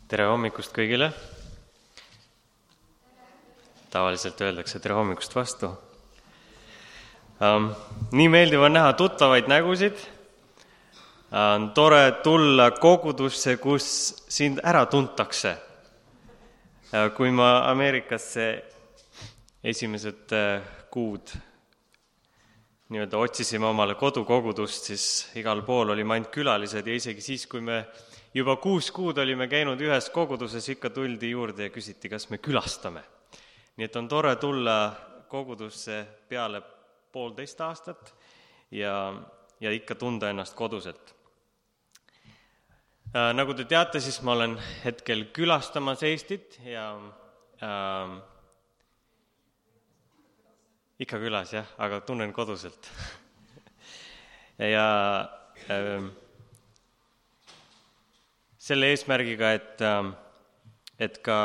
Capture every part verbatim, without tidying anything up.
Tere hommikust kõigile. Tavaliselt öeldakse tere hommikust vastu. Um, nii meeldiv on näha tuttavaid nägusid. On tore tulla kogudusse, kus sind ära tuntakse. Kui ma Ameerikasse esimesed kuud nii-öelda otsisime omale kodukogudust, siis igal pool oli ainult külalised ja isegi siis, kui me juba kuus kuud olime käinud ühes koguduses, ikka tuldi juurde ja küsiti, kas me külastame. Nii et on tore tulla kogudusse peale poolteist aastat ja, ja ikka tunda ennast koduselt. Äh, nagu te teate, siis ma olen hetkel külastamas Eestit ja äh, ikka külas, jah, aga tunnen koduselt. ja äh, selle eesmärgiga, et, et ka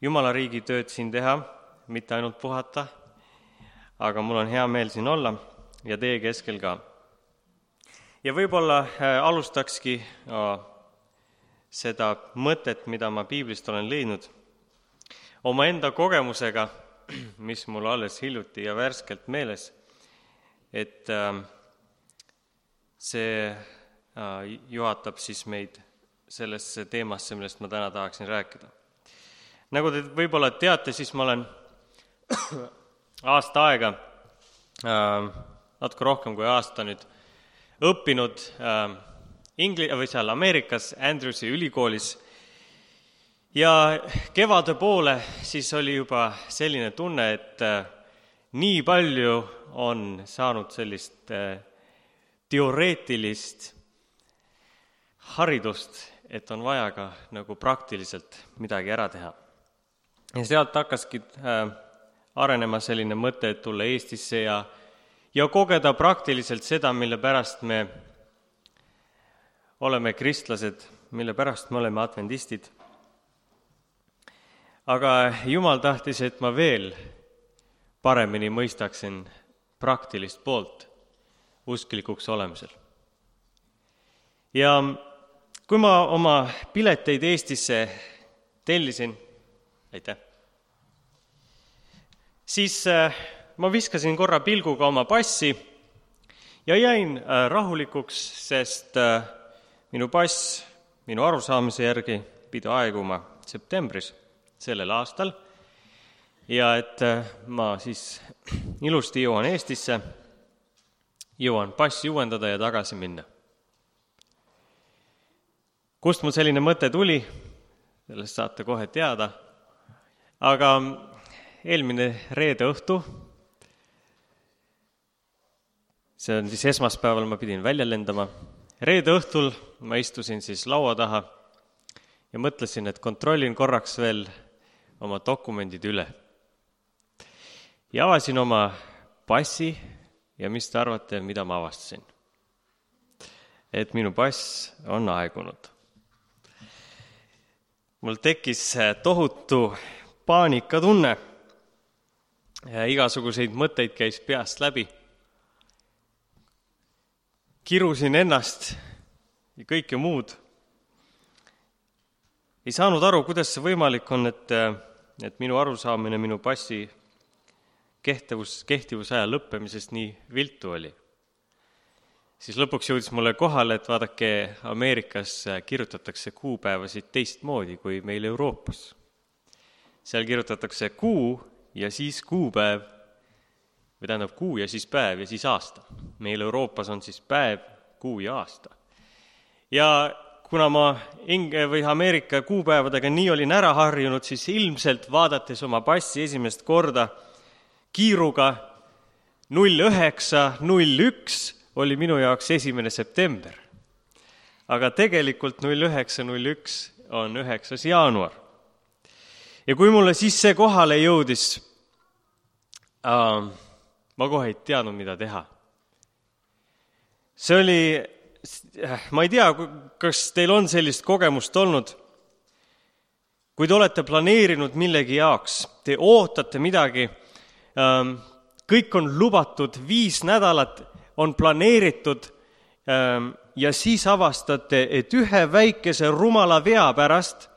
Jumala riigi tööd siin teha, mitte ainult puhata, aga mul on hea meel siin olla ja teie keskel ka. Ja võib-olla alustakski seda mõtet, mida ma piiblist olen leidnud, oma enda kogemusega, mis mul alles hiljuti ja värskelt meeles, et see juhatab siis meid sellesse teemasse, millest ma täna tahaksin rääkida. Nagu te võib-olla teate, siis ma olen aasta aega, natuke rohkem kui aasta nüüd, õppinud Ingli- või seal Ameerikas Andrewsi ülikoolis ja kevade poole siis oli juba selline tunne, et nii palju on saanud sellist teoreetilist haridust, et on vaja ka nagu praktiliselt midagi ära teha. Ja sealt hakkaski äh, arenema selline mõte, et tulla Eestisse ja, ja kogeda praktiliselt seda, mille pärast me oleme kristlased, mille pärast me oleme adventistid. Aga Jumal tahtis, et ma veel paremini mõistaksin praktilist poolt usklikuks olemisel. Ja kui ma oma pileteid Eestisse tellisin, aitäh, siis ma viskasin korra pilguga oma passi ja jäin rahulikuks, sest minu pass minu arusaamise järgi pidi aeguma septembris sellel aastal ja et ma siis ilusti jõuan Eestisse, jõuan passi uuendada ja tagasi minna. Kust mul selline mõte tuli, sellest saate kohe teada, aga eelmine reede õhtu, see on siis esmaspäeval, ma pidin välja lendama, reede õhtul ma istusin siis laua taha ja mõtlesin, et kontrollin korraks veel oma dokumendid üle. Ja avasin oma passi ja mis te arvate, mida ma avastasin? Et minu pass on aegunud. Mul tekkis tohutu paanikatunne ja igasuguseid mõtteid käis peast läbi. Kirusin ennast ja kõike muud. Ei saanud aru, kuidas see võimalik on, et, et minu arusaamine minu passi kehtivus, kehtivusaja lõppemisest nii viltu oli. Siis lõpuks jõudis mulle kohale, et vaadake, Ameerikas kirjutatakse kuupäevasid teistmoodi kui meil Euroopas. Seal kirjutatakse kuu ja siis kuupäev, või tähendab kuu ja siis päev ja siis aasta. Meil Euroopas on siis päev, kuu ja aasta. Ja kuna ma Inge või Ameerika kuupäevadega nii olin ära harjunud, siis ilmselt vaadates oma passi esimest korda kiiruga null üheksa null üks oli minu jaoks esimene september. Aga tegelikult null üheksa null üks on üheksas jaanuar. Ja kui mulle siis see kohale jõudis, äh, ma kohe ei teadnud, mida teha. See oli, ma ei tea, kas teil on sellist kogemust olnud, kui te olete planeerinud millegi jaoks, te ootate midagi, äh, kõik on lubatud viis nädalat, on planeeritud, ja siis avastate, et ühe väikese rumala vea pärast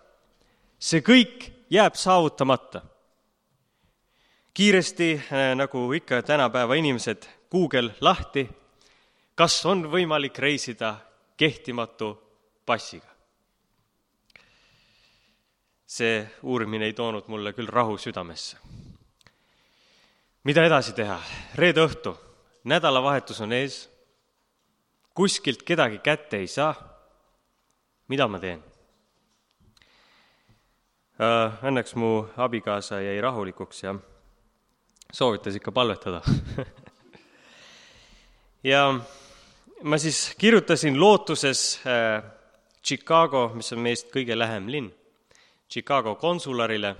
see kõik jääb saavutamata. Kiiresti, nagu ikka tänapäeva inimesed, Google lahti, kas on võimalik reisida kehtimatu passiga. See uurimine ei toonud mulle küll rahu südamesse. Mida edasi teha? Reede õhtu, nädalavahetus on ees, kuskilt kedagi kätte ei saa. Mida ma teen? Õnneks mu abikaasa jäi rahulikuks ja soovitas ikka palvetada. Ja ma siis kirjutasin lootuses Chicago, mis on meist kõige lähem linn, Chicago konsularile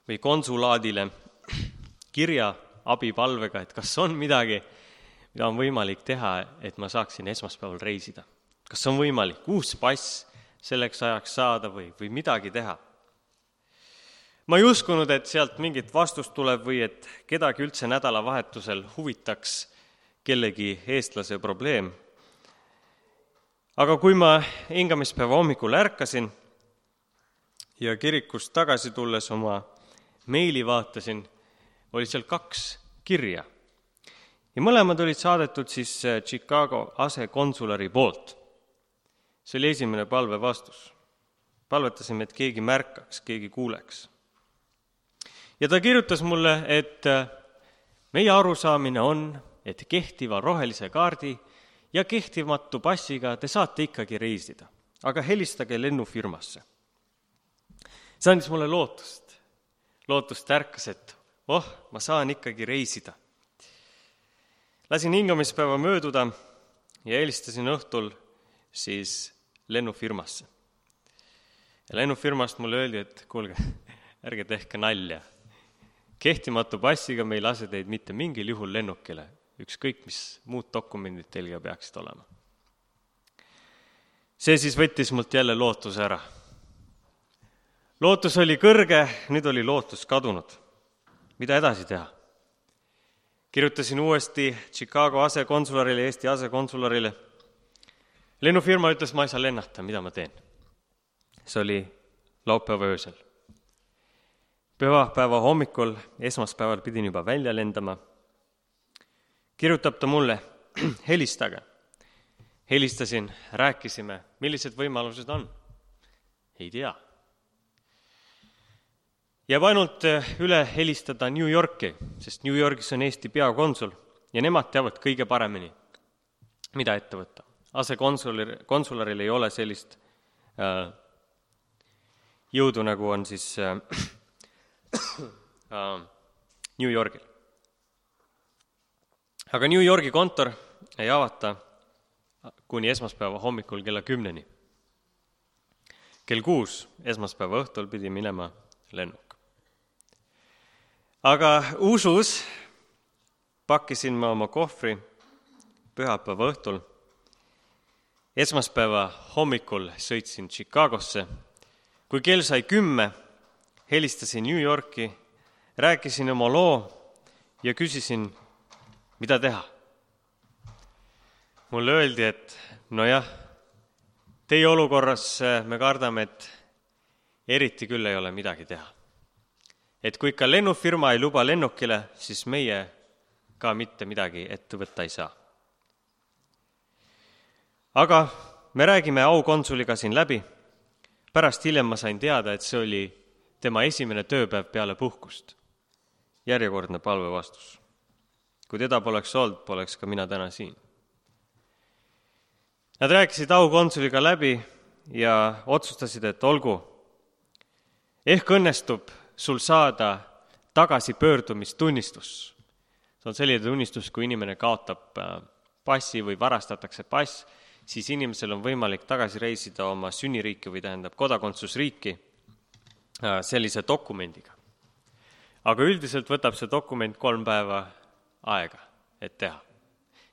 või konsulaadile kirja abipalvega, et kas on midagi, mida on võimalik teha, et ma saaksin esmaspäeval reisida. Kas on võimalik uus pass selleks ajaks saada või, või midagi teha. Ma ei uskunud, et sealt mingit vastust tuleb või et kedagi üldse nädalavahetusel huvitaks kellegi eestlase probleem. Aga kui ma hingamispäeva hommikul ärkasin ja kirikust tagasi tulles oma meili vaatasin, oli seal kaks kirja. Ja mõlemad olid saadetud siis Chicago asekonsulari poolt. See oli esimene palve vastus. Palvetasime, et keegi märkaks, keegi kuuleks. Ja ta kirjutas mulle, et meie arusaamine on, et kehtiva rohelise kaardi ja kehtivamatu passiga te saate ikkagi reisida, aga helistage lennufirmasse. See andis mulle lootust. Lootust ärkas, et oh, ma saan ikkagi reisida. Lasin hingamispäeva mööduda ja helistasin õhtul siis lennufirmasse. Ja lennufirmast mulle öeldi, et kuulge, ärge tehke nalja. Kehtimatu passiga me ei lase teid mitte mingil juhul lennukile, ükskõik mis muud dokumendid teilga peaksid olema. See siis võttis mult jälle lootuse ära. Lootus oli kõrge, nüüd oli lootus kadunud. Mida edasi teha? Kirjutasin uuesti Chicago asekonsularile, Eesti asekonsularile. Lennufirma ütles, ma ei saa lennata, mida ma teen. See oli laupäeva öösel. Pühapäeva hommikul, esmaspäeval pidin juba välja lendama. Kirjutab ta mulle, helistage. Helistasin, rääkisime, millised võimalused on. Ei tea. Jääb ainult üle helistada New Yorki, sest New Yorgis on Eesti peakonsul ja nemad teavad kõige paremini, mida ette võtta. Asekonsularil ei ole sellist äh, jõudu, nagu on siis äh, äh, New Yorgil. Aga New Yorgi kontor ei avata kuni esmaspäeva hommikul kella kümneni. Kell kuus esmaspäeva õhtul pidi minema lennuk. Aga usus pakkisin ma oma kohvri pühapäeva õhtul. Esmaspäeva hommikul sõitsin Chicagosse. Kui kell sai kümme, helistasin New Yorki, rääkisin oma loo ja küsisin, mida teha. Mulle öeldi, et no jah, teie olukorras me kardame, et eriti küll ei ole midagi teha. Et kui ikka lennufirma ei luba lennukile, siis meie ka mitte midagi ette võtta ei saa. Aga me räägime aukonsuliga siin läbi. Pärast hiljem ma sain teada, et see oli tema esimene tööpäev peale puhkust. Järjekordne palve vastus. Kui teda poleks olnud, poleks ka mina täna siin. Nad rääkisid aukonsuliga läbi ja otsustasid, et olgu, ehk õnnestub sul saada tagasipöördumistunnistus. See on selline tunnistus, kui inimene kaotab passi või varastatakse pass, siis inimesel on võimalik tagasi reisida oma sünniriiki või tähendab kodakondsusriiki sellise dokumendiga. Aga üldiselt võtab see dokument kolm päeva aega, et teha.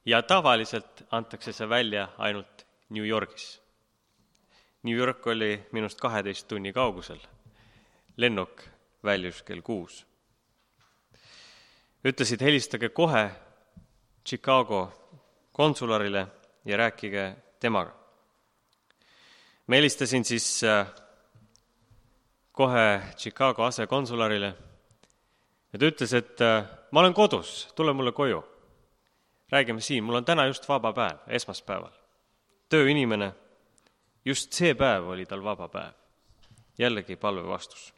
Ja tavaliselt antakse see välja ainult New Yorgis. New York oli minust kaheteist tunni kaugusel. Lennuk väljus kell kuus. Ütlesid, helistage kohe Chicago konsularile ja rääkige temaga. Ma helistasin siis kohe Chicago asekonsularile ja ta ütles, et ma olen kodus, tule mulle koju. Räägime siin, mul on täna just vaba päev, esmaspäeval. Tööinimene, just see päev oli tal vaba päev. Jällegi palve vastus.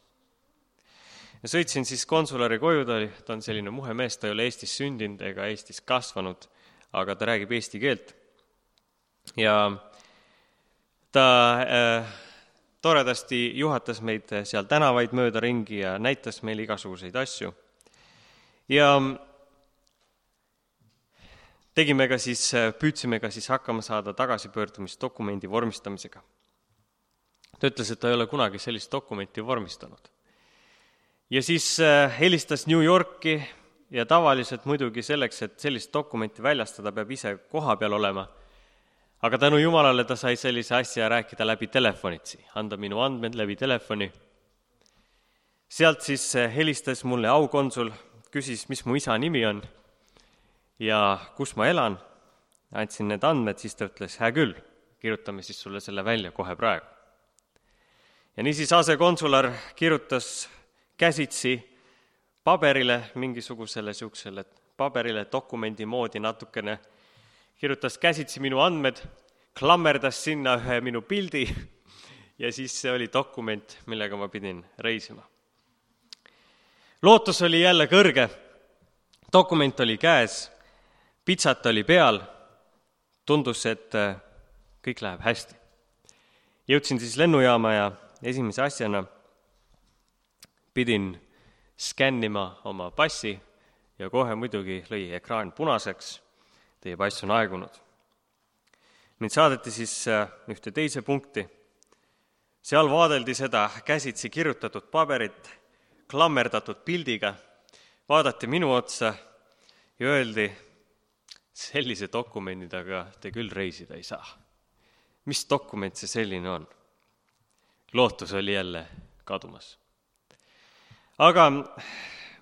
Ja sõitsin siis konsulari koju, ta, oli, ta on selline muhe mees, ta ei ole Eestis sündinud ega Eestis kasvanud, aga ta räägib eesti keelt. Ja ta äh, toredasti juhatas meid seal tänavaid mööda ringi ja näitas meile igasuguseid asju. Ja tegime ka siis, püüdsime ka siis hakkama saada tagasipöördumisdokumendi vormistamisega. Ta ütles, et ta ei ole kunagi sellist dokumenti vormistanud. Ja siis helistas New Yorki ja tavaliselt muidugi selleks, et sellist dokumenti väljastada, peab ise koha peal olema. Aga tänu Jumalale ta sai sellise asja rääkida läbi telefonitsi, anda minu andmed läbi telefoni. Sealt siis helistas mulle aukonsul, küsis, mis mu isa nimi on ja kus ma elan. Andsin need andmed, siis ta ütles, hää küll, kirjutame siis sulle selle välja kohe praegu. Ja niisiis asekonsular kirjutas käsitsi paberile, mingisugusele siuksele paberile dokumendi moodi natukene, kirjutas käsitsi minu andmed, klammerdas sinna ühe minu pildi ja siis see oli dokument, millega ma pidin reisima. Lootus oli jälle kõrge, dokument oli käes, pitsat oli peal, tundus, et kõik läheb hästi. Jõudsin siis lennujaama ja esimese asjana pidin skännima oma passi ja kohe muidugi lõi ekraan punaseks, teie pass on aegunud. Mind saadeti siis ühte teise punkti. Seal vaadeldi seda käsitsi kirjutatud paberit, klammerdatud pildiga, vaadati minu otsa ja öeldi, sellise dokumendiga te küll reisida ei saa. Mis dokument see selline on? Lootus oli jälle kadumas. Aga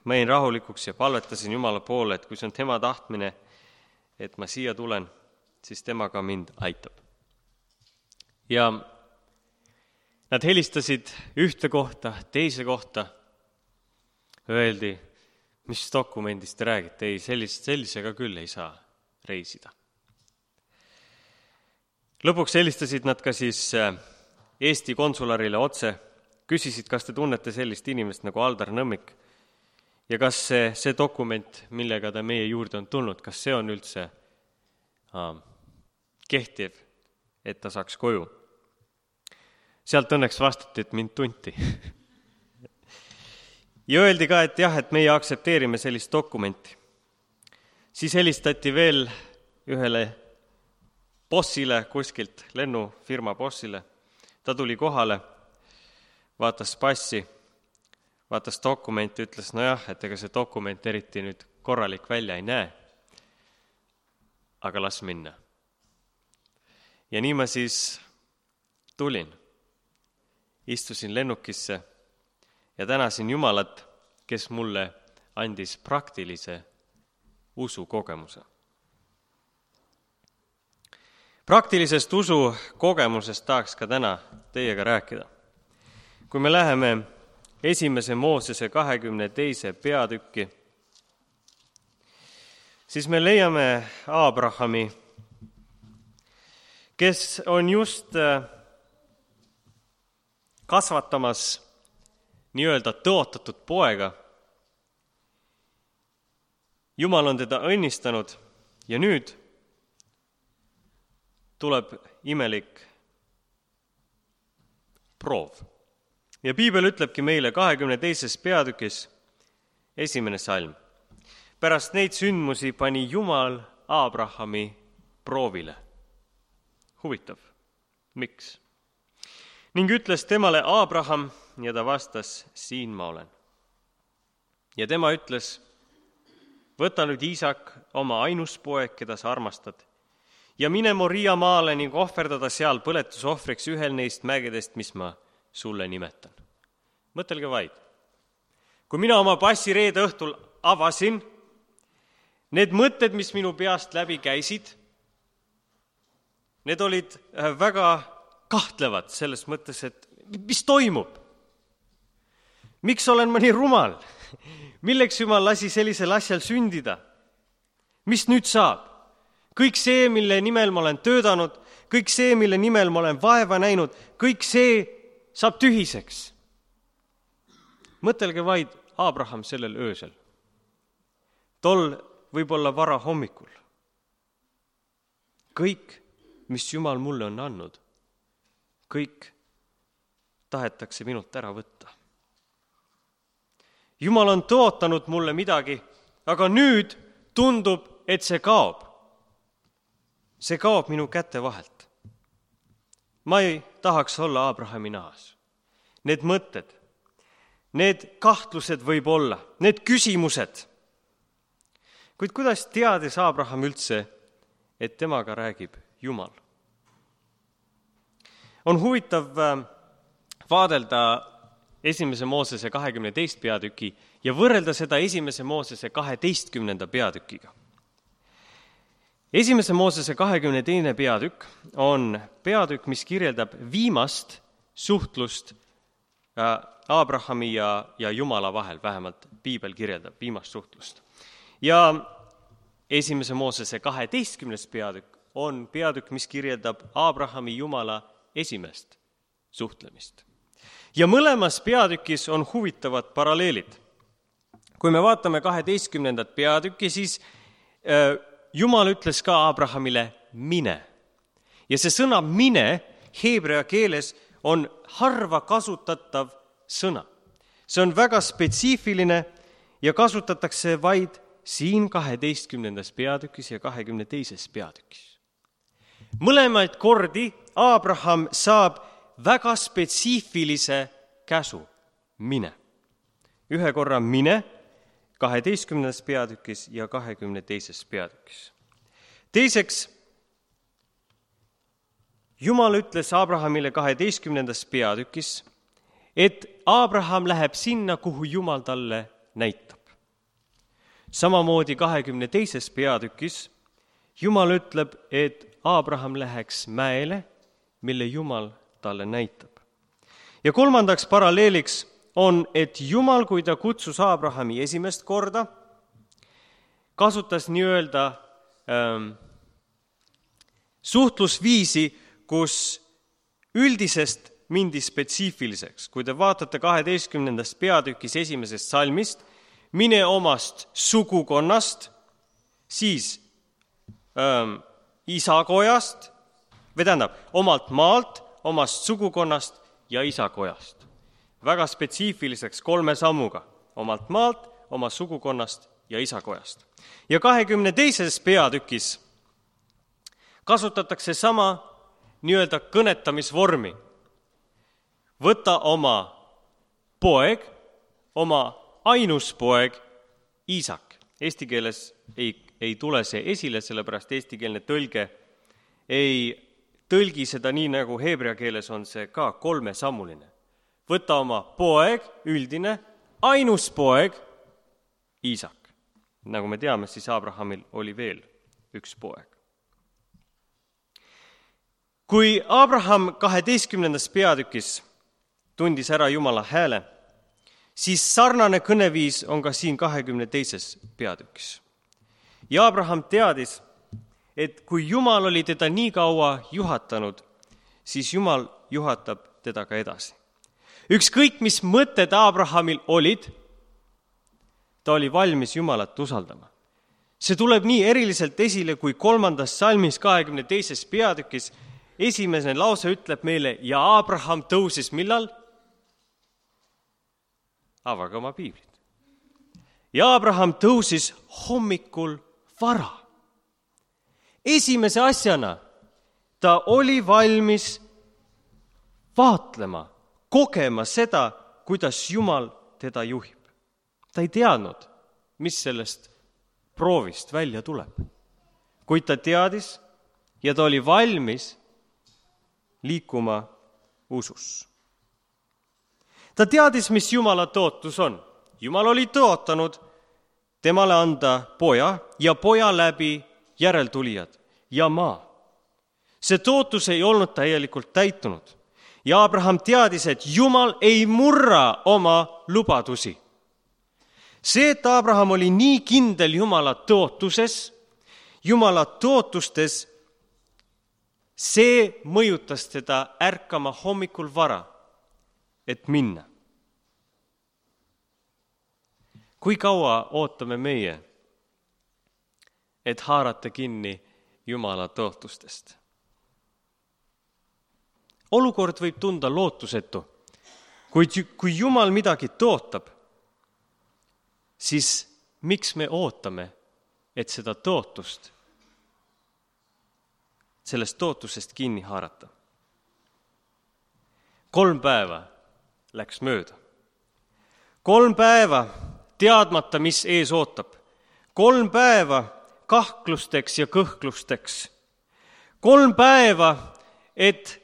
ma jäin rahulikuks ja palvetasin Jumala poole, et kui see on tema tahtmine, et ma siia tulen, siis tema ka mind aitab. Ja nad helistasid ühte kohta, teise kohta, öeldi, mis dokumendist te räägite, ei, sellist, sellisega küll ei saa reisida. Lõpuks helistasid nad ka siis Eesti konsularile otse, küsisid, kas te tunnete sellist inimest nagu Aldar Nõmmik ja kas see, see dokument, millega ta meie juurde on tulnud, kas see on üldse äh, kehtiv, et ta saaks koju. Sealt õnneks vastati, et mind tunti. Ja öeldi ka, et jah, et meie aktsepteerime sellist dokumenti. Siis helistati veel ühele bossile kuskilt, lennufirma bossile. Ta tuli kohale, vaatas passi, vaatas dokumenti, ütles, no jah, et ega see dokument eriti nüüd korralik välja ei näe, aga las minna. Ja nii ma siis tulin, istusin lennukisse ja tänasin Jumalat, kes mulle andis praktilise usukogemuse. Praktilisest usu kogemusest tahaks ka täna teiega rääkida. Kui me läheme esimese Moosese kahekümne teise peatükki, siis me leiame Aabrahami, kes on just kasvatamas nii-öelda tõotatud poega. Jumal on teda õnnistanud ja nüüd tuleb imelik proov. Ja Piibel ütlebki meile kahekümne teises peatükis esimene salm. Pärast neid sündmusi pani Jumal Aabrahami proovile. Huvitav. Miks? Ning ütles temale Aabraham ja ta vastas, siin ma olen. Ja tema ütles, võta nüüd Iisak, oma ainus poeg, keda sa armastad, ja mine Moria maale ning ohverdada seal põletusohvriks ühel neist mägedest, mis ma sulle nimetan. Mõtelge vaid. Kui mina oma passi reede õhtul avasin, need mõtted, mis minu peast läbi käisid, need olid väga kahtlevad selles mõttes, et mis toimub? Miks olen ma nii rumal? Milleks Jumal lasi sellisel asjal sündida? Mis nüüd saab? Kõik see, mille nimel ma olen töötanud, kõik see, mille nimel ma olen vaeva näinud, kõik see saab tühiseks. Mõtelge vaid Abraham sellel öösel. Tol võib-olla vara hommikul. Kõik, mis Jumal mulle on andnud, kõik tahetakse minult ära võtta. Jumal on tõotanud mulle midagi, aga nüüd tundub, et see kaob. See kaob minu käte vahelt. Ma ei tahaks olla Abrahami nahas. Need mõtted, need kahtlused võib olla, need küsimused. Kuid kuidas teadis Abraham üldse, et temaga räägib Jumal? On huvitav vaadelda esimese Moosese kahekümne teist peatüki ja võrrelda seda esimese Moosese kaheteistkümnenda peatükiga. Esimese Moosese kahekümne teine peatükk on peatükk, mis kirjeldab viimast suhtlust Abrahami ja, ja Jumala vahel, vähemalt Piibel kirjeldab viimast suhtlust. Ja esimese Moosese kaheteistkümnes peatükk on peatükk, mis kirjeldab Abrahami Jumala esimest suhtlemist. Ja mõlemas peatükis on huvitavad paralleelid. Kui me vaatame kaheteistkümnendat peatükki, siis äh, Jumal ütles ka Abrahamile mine. Ja see sõna mine heebrea keeles on harva kasutatav sõna. See on väga spetsiifiline ja kasutatakse vaid siin kaheteistkümnendas peatükis ja kahekümne teises peatükis. Mõlemaid kordi Abraham saab väga spetsiifilise käsu mine. Ühe korra mine kaheteistkümnendas peatükis ja kahekümne teises peatükis. Teiseks, Jumal ütles Abrahamile kaheteistkümnendas peatükis, et Abraham läheb sinna, kuhu Jumal talle näitab. Samamoodi kahekümne teises peatükis Jumal ütleb, et Abraham läheks mäele, mille Jumal talle näitab. Ja kolmandaks paralleeliks on, et Jumal, kui ta kutsus Abrahami esimest korda, kasutas nii-öelda ähm, suhtlusviisi, kus üldisest mindi spetsiifiliseks. Kui te vaatate kaheteistkümnendast peatükis esimesest salmist, mine omast sugukonnast, siis ähm, isakojast, või tähendab, omalt maalt, omast sugukonnast ja isakojast. Väga spetsiifiliseks kolme sammuga, omalt maalt, oma sugukonnast ja isakojast. Ja kahekümne teises peatükis kasutatakse sama nii-öelda kõnetamisvormi. Võta oma poeg, oma ainus poeg, Iisak. Eesti keeles ei, ei tule see esile, sellepärast eestikeelne tõlge ei tõlgi seda nii, nagu heebrea keeles on see ka kolmesammuline. Võta oma poeg, üldine, ainus poeg, Iisak. Nagu me teame, siis Abrahamil oli veel üks poeg. Kui Abraham kaheteistkümnendas peatükis tundis ära Jumala hääle, siis sarnane kõneviis on ka siin kahekümne teises peatükis. Ja Abraham teadis, et kui Jumal oli teda nii kaua juhatanud, siis Jumal juhatab teda ka edasi. Ükskõik, mis mõtted Abrahamil olid, ta oli valmis Jumalat usaldama. See tuleb nii eriliselt esile, kui kolmandas salmis kahekümne teises peatükis esimene lause ütleb meile, ja Abraham tõusis millal? Avage oma piiblit. Ja Abraham tõusis hommikul vara. Esimese asjana ta oli valmis vaatlema, kogema seda, kuidas Jumal teda juhib. Ta ei teadnud, mis sellest proovist välja tuleb. Kuid ta teadis ja ta oli valmis liikuma usus. Ta teadis, mis Jumala tõotus on. Jumal oli tõotanud temale anda poja ja poja läbi järeltulijad ja maa. See tootus ei olnud täielikult täitunud. Ja Abraham teadis, et Jumal ei murra oma lubadusi. See, et Abraham oli nii kindel Jumala tootuses, Jumala tootustes, see mõjutas teda ärkama hommikul vara, et minna. Kui kaua ootame meie, et haarata kinni Jumala tootustest? Olukord võib tunda lootusetu. Kuid kui Jumal midagi tootab, siis miks me ootame, et seda tootust, sellest tootusest kinni haarata? Kolm päeva läks mööda. Kolm päeva teadmata, mis ees ootab. Kolm päeva kahklusteks ja kõhklusteks. Kolm päeva, et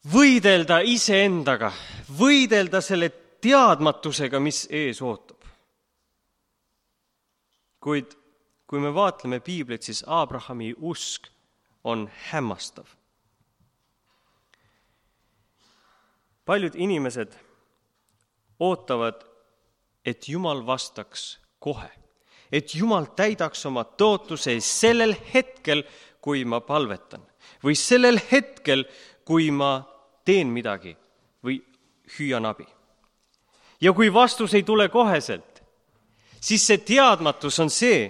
võidelda iseendaga, võidelda selle teadmatusega, mis ees ootab. Kuid kui me vaatleme piiblit, siis Abrahami usk on hämmastav. Paljud inimesed ootavad, et Jumal vastaks kohe, et Jumal täidaks oma tootuse sellel hetkel, kui ma palvetan, või sellel hetkel, kui ma teen midagi või hüüan abi. Ja kui vastus ei tule koheselt, siis see teadmatus on see,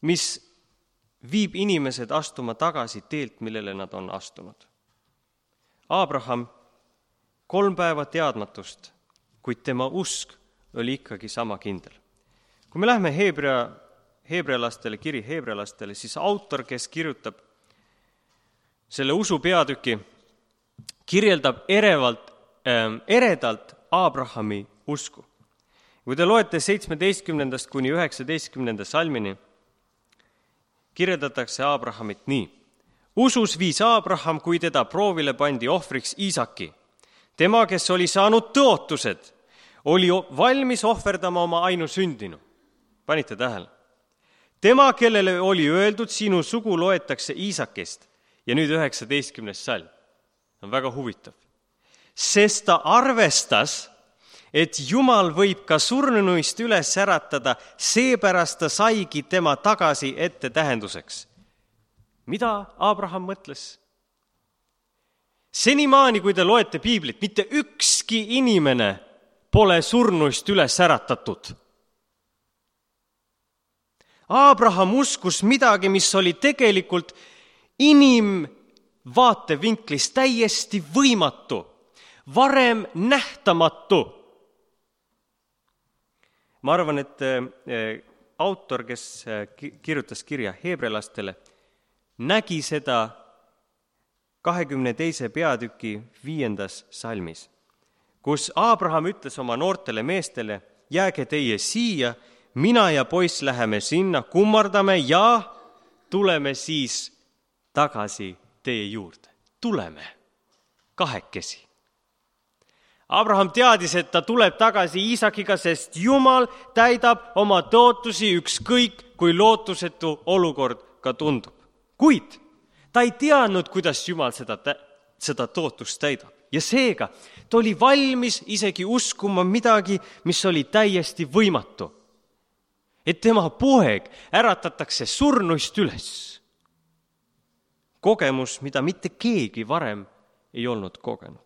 mis viib inimesed astuma tagasi teelt, millele nad on astunud. Abraham kolm päeva teadmatust, kuid tema usk oli ikkagi sama kindel. Kui me lähme heebrea, heebrealastele, kiri heebrealastele, siis autor, kes kirjutab selle usu peatüki, kirjeldab erevalt, äh, eredalt Abrahami usku. Kui te loete seitsmeteistkümnendast kuni üheksateistkümnenda salmini, kirjeldatakse Abrahamit nii. Usus viis Abraham, kui teda proovile pandi ohvriks Iisaki. Tema, kes oli saanud tõotused, oli valmis ohverdama oma ainusündinu. Panite tähele? Tema, kellele oli öeldud, sinu sugu loetakse Iisakist. Ja nüüd üheksateistkümnes salm. On väga huvitav. Sest ta arvestas, et Jumal võib ka surnuist üles äratada, seepärast ta saigi tema tagasi ette tähenduseks. Mida Abraham mõtles? Senimaani, kui te loete piiblit, mitte ükski inimene pole surnuist üles äratatud. Abraham uskus midagi, mis oli tegelikult inimvaatevinklis täiesti võimatu, varem nähtamatu. Ma arvan, et autor, kes kirjutas kirja heebrealastele, nägi seda kahekümne teise peatüki viiendas salmis, kus Abraham ütles oma noortele meestele, jääge teie siia, mina ja poiss läheme sinna, kummardame ja tuleme siis tagasi teie juurde. Tuleme kahekesi. Abraham teadis, et ta tuleb tagasi Iisakiga, sest Jumal täidab oma tootusi ükskõik, kui lootusetu olukord ka tundub. Kuid ta ei teadnud, kuidas Jumal seda, seda tootust täidab. Ja seega ta oli valmis isegi uskuma midagi, mis oli täiesti võimatu. Et tema poeg äratatakse surnuist üles. Kogemus, mida mitte keegi varem ei olnud kogenud.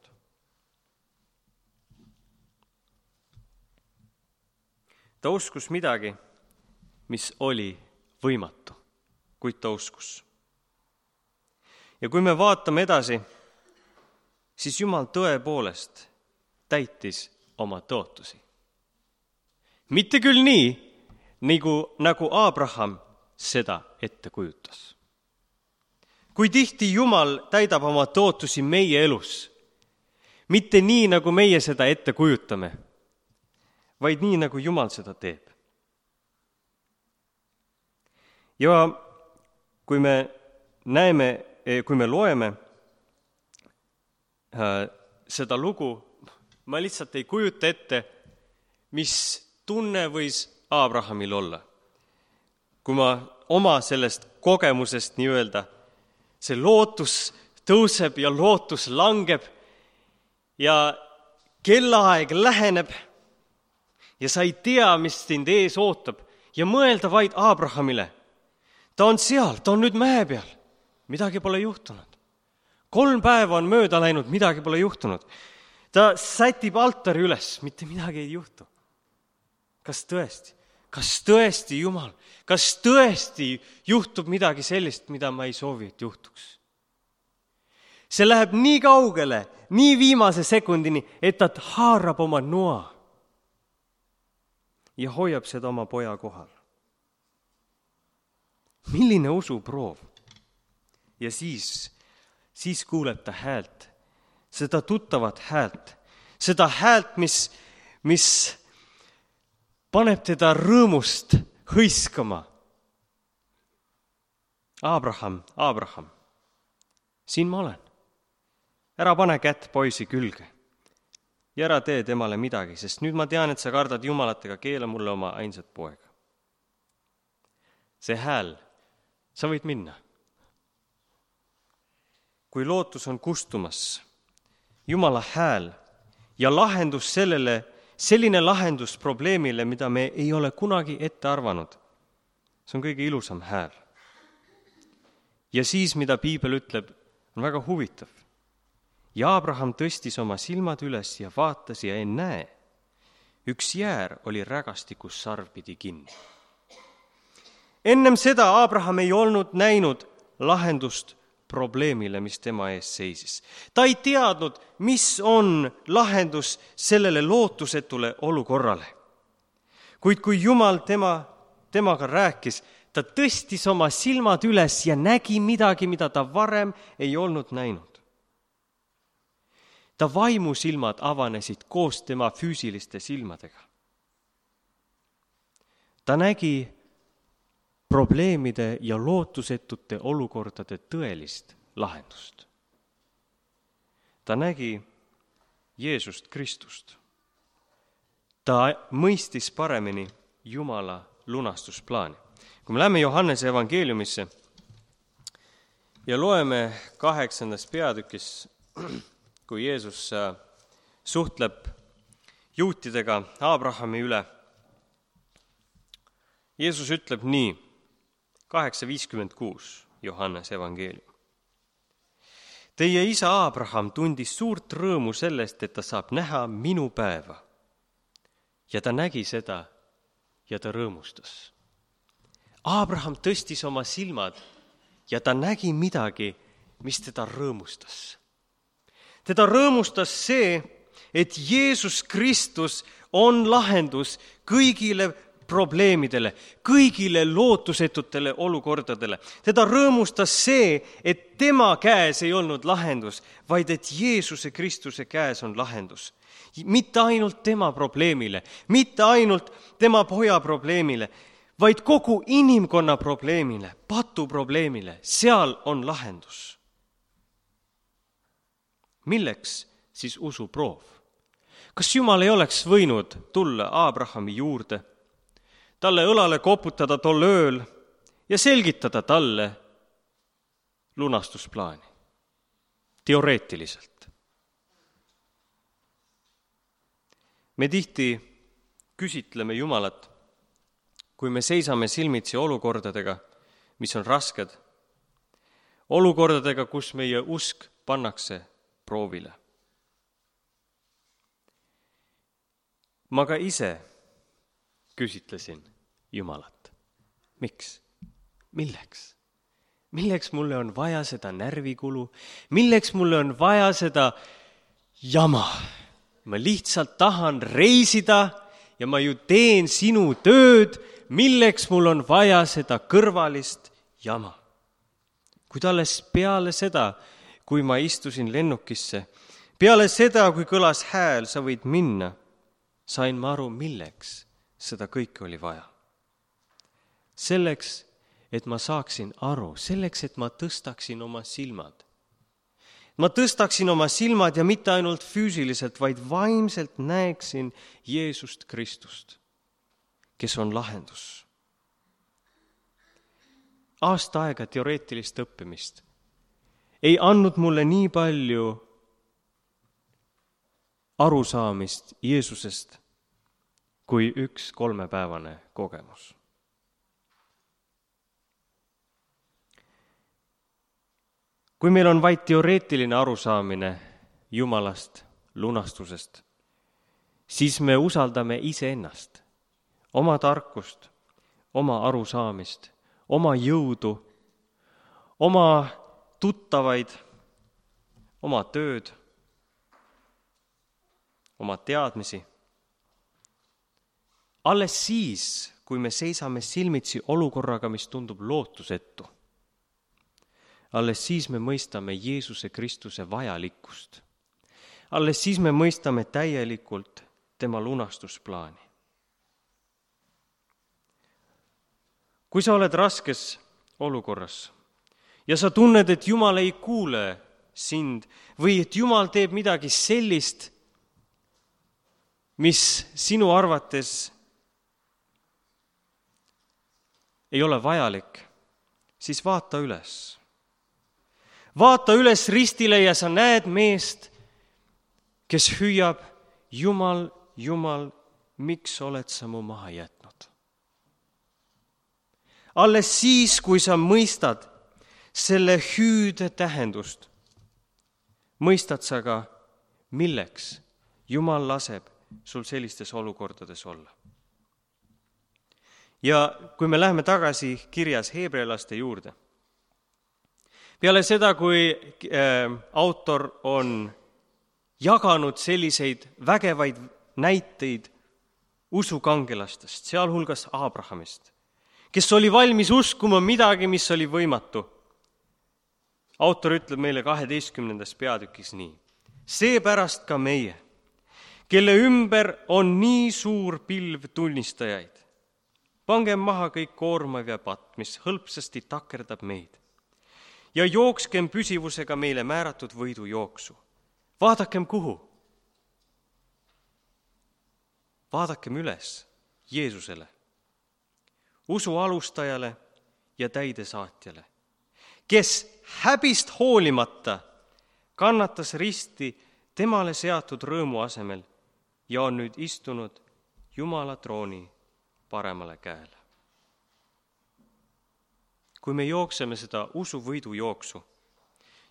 Ta uskus midagi, mis oli võimatu, kuid ta uskus. Ja kui me vaatame edasi, siis Jumal tõepoolest täitis oma tootusi. Mitte küll nii, nagu, nagu Abraham seda ette kujutas. Kui tihti Jumal täidab oma tootusi meie elus, mitte nii, nagu meie seda ette kujutame, vaid nii, nagu Jumal seda teeb. Ja kui me näeme, kui me loeme seda lugu, ma lihtsalt ei kujuta ette, mis tunne võis Abrahamil olla. Kui ma oma sellest kogemusest nii öelda see lootus tõuseb ja lootus langeb ja kellaaeg läheneb ja sa ei tea, mis sind ees ootab ja mõelda vaid Abrahamile. Ta on seal, ta on nüüd mäe peal. Midagi pole juhtunud. Kolm päeva on mööda läinud, midagi pole juhtunud. Ta sätib altari üles, mitte midagi ei juhtu. Kas tõesti? Kas tõesti, Jumal? Kas tõesti juhtub midagi sellist, mida ma ei soovi, et juhtuks? See läheb nii kaugele, nii viimase sekundini, et ta haarab oma noa ja hoiab seda oma poja kohal. Milline usuproov? Ja siis, siis kuuleb ta häält, seda tuttavat häält, seda häält, mis, mis paneb teda rõõmust hõiskama. Abraham, Abraham, siin ma olen. Ära pane kätt poisi külge ja ära tee temale midagi, sest nüüd ma tean, et sa kardad Jumalat ega keela mulle oma ainsat poega. See hääl, sa võid minna. Kui lootus on kustumas, Jumala hääl ja lahendus sellele, selline lahendus probleemile, mida me ei ole kunagi ette arvanud, see on kõige ilusam hääl. Ja siis, mida piibel ütleb, on väga huvitav. Ja Abraham tõstis oma silmad üles ja vaatas ja ennäe. Üks jäär oli rägastikus sarvpidi kinni. Ennem seda Abraham ei olnud näinud lahendust probleemile, mis tema ees seisis. Ta ei teadnud, mis on lahendus sellele lootusetule olukorrale. Kuid kui Jumal tema, temaga rääkis, ta tõstis oma silmad üles ja nägi midagi, mida ta varem ei olnud näinud. Ta vaimusilmad avanesid koos tema füüsiliste silmadega. Ta nägi probleemide ja lootusetute olukordade tõelist lahendust. Ta nägi Jeesust Kristust. Ta mõistis paremini Jumala lunastusplaani. Kui me läheme Johannese evangeeliumisse ja loeme kaheksandas peatükis, kui Jeesus suhtleb juutidega Abrahami üle. Jeesus ütleb nii, kaheksa viiskümmend kuus Johannese evangeelium. Teie isa Abraham tundis suurt rõõmu sellest, et ta saab näha minu päeva. Ja ta nägi seda ja ta rõõmustas. Abraham tõstis oma silmad ja ta nägi midagi, mis teda rõõmustas. Teda rõõmustas see, et Jeesus Kristus on lahendus kõigile probleemidele, kõigile lootusetutele olukordadele. Teda rõõmustas see, et tema käes ei olnud lahendus, vaid et Jeesuse Kristuse käes on lahendus. Mitte ainult tema probleemile, mitte ainult tema poja probleemile, vaid kogu inimkonna probleemile, patu probleemile, seal on lahendus. Milleks siis usuproov? Kas Jumal ei oleks võinud tulla Abrahami juurde, talle õlale koputada tol ööl ja selgitada talle lunastusplaani? Teoreetiliselt. Me tihti küsitleme Jumalat, kui me seisame silmitsi olukordadega, mis on rasked, olukordadega, kus meie usk pannakse proovile. Ma ka ise küsitlesin Jumalat. Miks? Milleks? Milleks mulle on vaja seda närvikulu? Milleks mulle on vaja seda jama? Ma lihtsalt tahan reisida ja ma ju teen sinu tööd. Milleks mul on vaja seda kõrvalist jama? Kuid alles peale seda, kui ma istusin lennukisse, peale seda, kui kõlas hääl, sa võid minna, sain ma aru, milleks seda kõike oli vaja. Selleks, et ma saaksin aru, selleks, et ma tõstaksin oma silmad. Ma tõstaksin oma silmad ja mitte ainult füüsiliselt, vaid vaimselt näeksin Jeesust Kristust, kes on lahendus. Aasta aega teoreetilist õppimist ei andnud mulle nii palju arusaamist Jeesusest kui üks kolmepäevane kogemus. Kui meil on vaid teoreetiline arusaamine Jumalast, lunastusest, siis me usaldame iseennast, oma tarkust, oma arusaamist, oma jõudu, oma tuttavaid, oma tööd, oma teadmisi. Alles siis, kui me seisame silmitsi olukorraga, mis tundub lootusetu, alles siis me mõistame Jeesuse Kristuse vajalikkust. Alles siis me mõistame täielikult tema lunastusplaani. Kui sa oled raskes olukorras ja sa tunned, et Jumal ei kuule sind või et Jumal teeb midagi sellist, mis sinu arvates ei ole vajalik, siis vaata üles. Vaata üles ristile ja sa näed meest, kes hüüab, Jumal, Jumal, miks oled sa mu maha jätnud? Alles siis, kui sa mõistad selle hüüde tähendust, mõistad sa ka, milleks Jumal laseb sul sellistes olukordades olla. Ja kui me läheme tagasi kirjas heebrealaste juurde, peale seda, kui äh, autor on jaganud selliseid vägevaid näiteid usukangelastest, sealhulgas Abrahamist, kes oli valmis uskuma midagi, mis oli võimatu. Autor ütleb meile kaheteistkümnendas peatükis nii. Seepärast ka meie, kelle ümber on nii suur pilv tunnistajaid, pangem maha kõik koormav ja patt, mis hõlpsasti takerdab meid, ja jookskem püsivusega meile määratud võidu jooksu. Vaadakem kuhu? Vaadakem üles Jeesusele, usu alustajale ja täidesaatjale, kes häbist hoolimata kannatas risti temale seatud rõõmu asemel ja on nüüd istunud Jumala trooni paremale käele. Kui me jookseme seda usuvõidu jooksu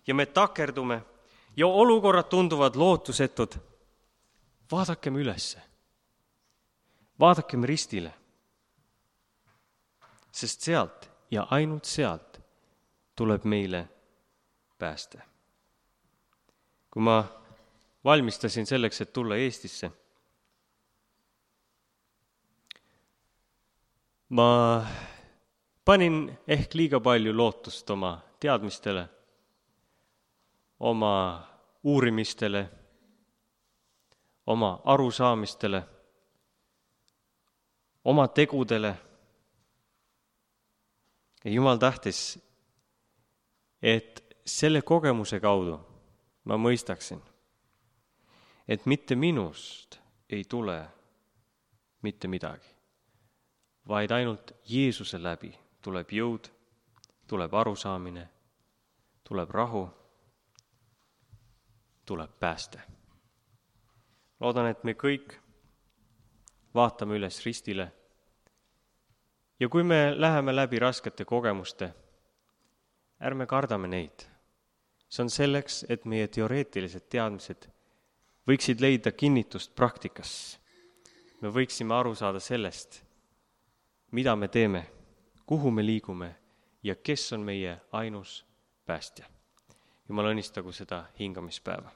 ja me takerdume ja olukorrad tunduvad lootusetud, vaadakem ülesse, vaadakem ristile, sest sealt ja ainult sealt tuleb meile pääste. Kui ma valmistasin selleks, et tulla Eestisse, ma panin ehk liiga palju lootust oma teadmistele, oma uurimistele, oma arusaamistele, oma tegudele. Ja Jumal tahtis, et selle kogemuse kaudu ma mõistaksin, et mitte minust ei tule mitte midagi, vaid ainult Jeesuse läbi tuleb jõud, tuleb arusaamine, tuleb rahu, tuleb pääste. Loodan, et me kõik vaatame üles ristile ja kui me läheme läbi raskete kogemuste, ärme kardame neid. See on selleks, et meie teoreetilised teadmised võiksid leida kinnitust praktikas. Me võiksime aru saada sellest, mida me teeme, kuhu me liigume ja kes on meie ainus päästja. Jumal õnnistagu seda hingamispäeva.